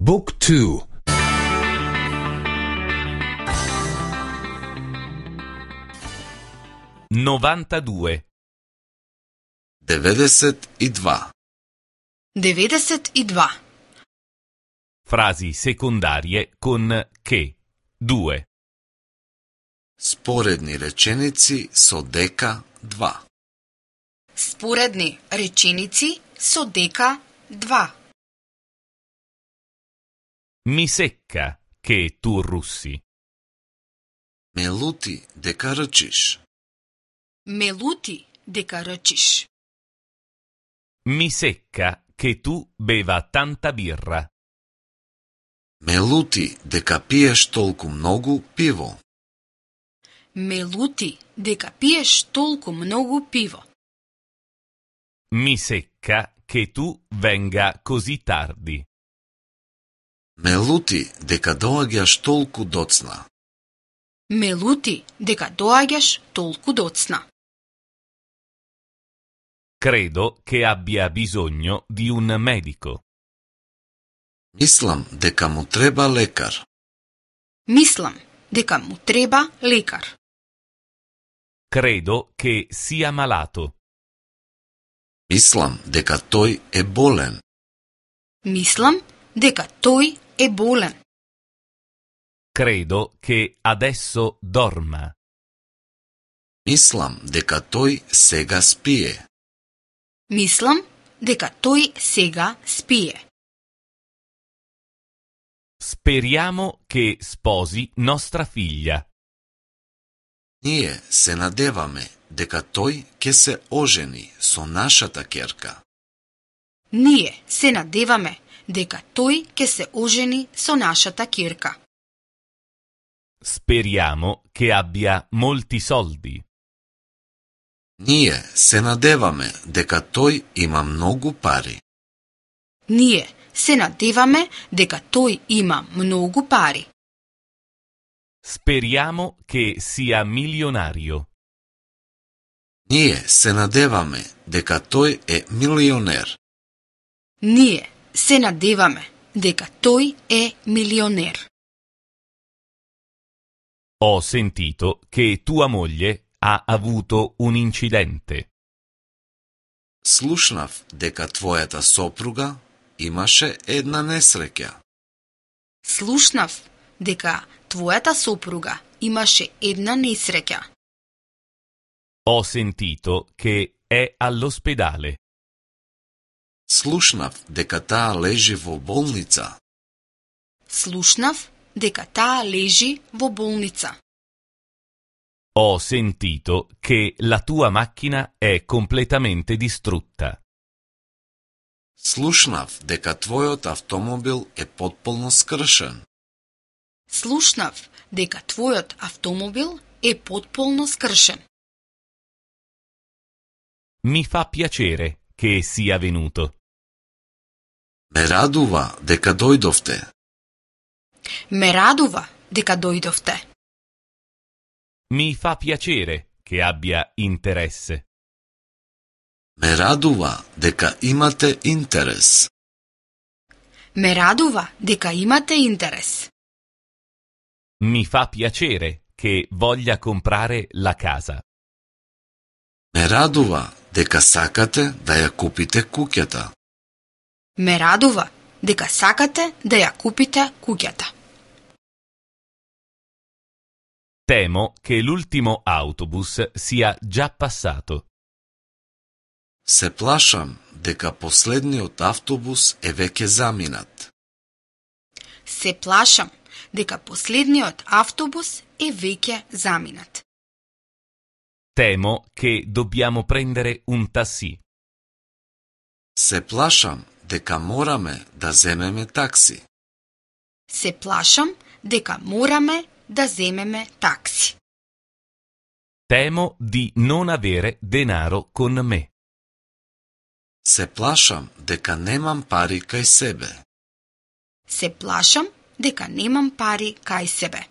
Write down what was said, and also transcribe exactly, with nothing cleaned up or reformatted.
Book two. novantadue. деветдесет и два. деветдесет и два. Frasi secondarie con che, due. Споредни реченици со дека два. Споредни реченици со дека два. Mi secca che tu russi. Ме лути дека рчиш. Ме лути дека рчиш. Mi secca che tu beva tanta birra. Ме лути дека пиеш толку многу пиво. Ме лути дека пиеш толку многу пиво. Mi secca che tu venga così tardi. Ме лути дека доаѓаш толку доцна. Ме лути дека доаѓаш толку доцна. Credo che abbia bisogno di un medico. Мислам дека му треба лекар. Мислам дека му треба лекар. Credo che sia malato. Мислам дека тој е болен. Мислам дека тој е болен. Credo che adesso dorma. Мислам дека тој сега спие. Мислам дека тој сега спие. Speriamo che sposi nostra figlia. Ние се надеваме дека тој ќе се ожени со нашата ќерка. Ние се надеваме дека тој ќе се ожени со нашата ќерка. Speriamo che abbia molti soldi. Ние се надеваме дека тој има многу пари. Ние се надеваме дека тој има многу пари. Speriamo che sia milionario. Ние се надеваме дека тој е милионер. Ние се надеваме дека тој е милионер. Ho sentito che tua moglie ha avuto un incidente. Слушнав дека твојата сопруга имаше една несреќа. Слушнав дека твојата сопруга имаше една несреќа. Ho sentito che è all'ospedale. Слушнав дека таа лежи во болница. Слушнав дека таа лежи во болница. Ho sentito che la tua macchina è completamente distrutta. Слушнав дека твојот автомобил е потполно скршен. Слушнав дека твојот автомобил е потполно скршен. Mi fa piacere che sia venuto. Ме радува дека дојдовте. Ме радува дека дојдовте. Mi fa piacere che abbia interesse. Ме радува дека имате интерес. Ме радува дека имате интерес. Mi fa piacere che voglia comprare la casa. Ме радува дека сакате да ја купите куќата. Ме радува дека сакате да ја купите куќата. Temo che l'ultimo autobus sia già passato. Се плашам дека последниот автобус е веќе заминат. Се плашам дека последниот автобус е веќе заминат. Temo che dobbiamo prendere un taxi. Се плашам дека мораме да земеме такси. Се плашам дека мораме да земеме такси. Temo di non avere denaro con me. Се плашам дека немам пари кај себе. Се плашам дека немам пари кај себе.